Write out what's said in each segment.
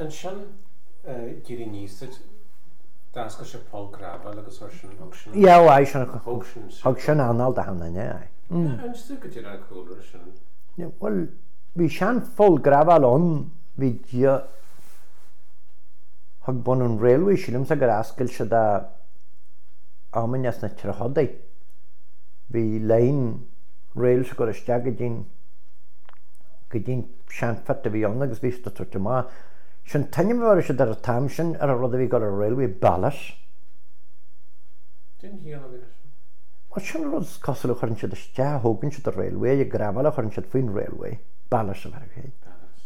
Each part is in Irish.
Ansin d'éirigh aníos duit, d'oscail sé poll graibhéil agus chuir sin, thug sin, Yeah, ó aye, sin, thug sin, thug sin anáil d'achan duine, aye. Inis domh goidé an cúlra sin. Bhuel, bhí sean-pholl graibhéil ann, bhí dia, thug bun an railway, sílimse gur oscail siad é amanna sna tríochadaí. Bhí line rails ag dul isteach go dtí'n, go dtí'n sean-phit a bhí ann agus bhí siad ag tabhairt amach. Sin t-ainm a bheir siad ar an t-am sin ar an rud a bhí ag dul ar an railway, ballast. Cén chiall a bhí leis sin? Bhuel, sin an rud is cosúil a chuireann siad isteach, a thógann siad an railway, an gravel a chuireann siad faoin railway, ballast a bheir air.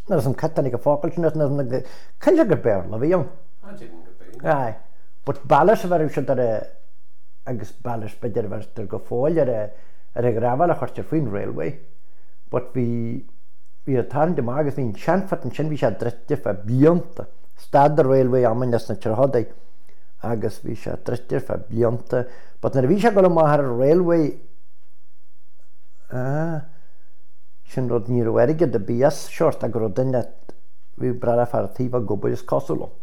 Nuair is an cat tháinig an focal sin as, nuair is an, cinnte gur Béarla a bhí ann. Ah, déarfainn gurb é. Aye. But ballast a bheireadh siad ar a, agus ballast b'fhéidir a bheirtear go fóill ar a, ar an ghravel a chuirtear faoin railway. But bhí, bhí an tarraingt amach agus bhí an sean-phit ansin, bhí sé druidte fá blianta. Stad an railway amanna sna tríochadaí agus bhí sé druidte ar feadh blianta. But nuair a bhí sé ag dul amach ar an railway, ah, sin rud, ní raibh airgead ar bith as seort ach go raibh duine, bhí breá le fear an tí ag obair is cosúil ann.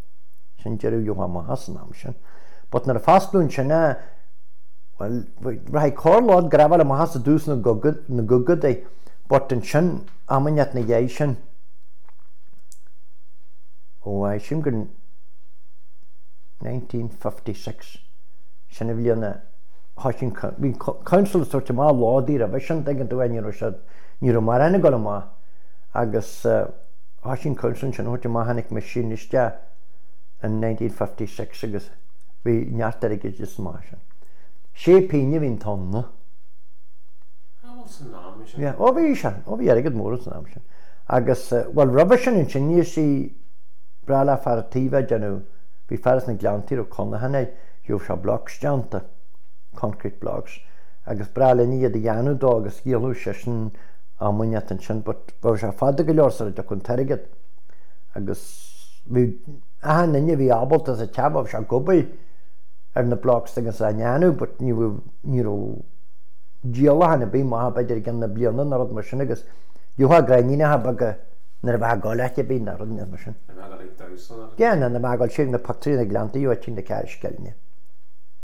Sin deireadh gheofá amach as an am sin. But nuair a foscladh ansin é, bhuel, rachaidh corr-lód gravel amach as i dtús na gcaogadaí, but ansin, am inteacht ina dhiaidh sin, ó, aye, sílim gur 1956, sin an bhliain a thoisigh an, bhí an council ag tabhairt amach lódaí roimhe sin, tuigeann tú, ní raibh siad, ní raibh mórán ag dul amach agus thoisigh an council ansin a thabhairt amach, tháinig machine isteach in 1956 agus bhí neart airgid amach as sin. Sé pingin a bhí an tonna. Ah, bhuel san am sin. Yeah, ó bhí sé, ó bhí airgead mór san am sin. Agus, bhuel roimhe sin ansin níor sí breá le fear an tí bheith ag déanamh, bhí fear as na Gleanntaí a raibh cónaithe air, gheobhadh sé blocks déanta, concrete blocks, agus breá linn iad a dhéanamh dó agus dhíoladh seisean am inteacht ansin but bheadh sé fada go leor sara dtiocfadh an t-airgead. Agus bhí achan duine a bhí ábalta sa teach bheadh sé ag obair ar na blocks agus á ndéanamh but ní raibh, ní raibh díolachán ar bith maith b'fhéidir i gceann na bliana nó rud mar sin agus gheofá gráinníneacha beaga nuair a bheifeá ag dul áit ar bith nó rud mar sin. Nuair a bheifeá ag dul ag damhsa nó rud. Yeah, nuair a bheifeá ag dul siar na pictiúirí na Gleanntaí ó Tigh na Ceathar Sceilne.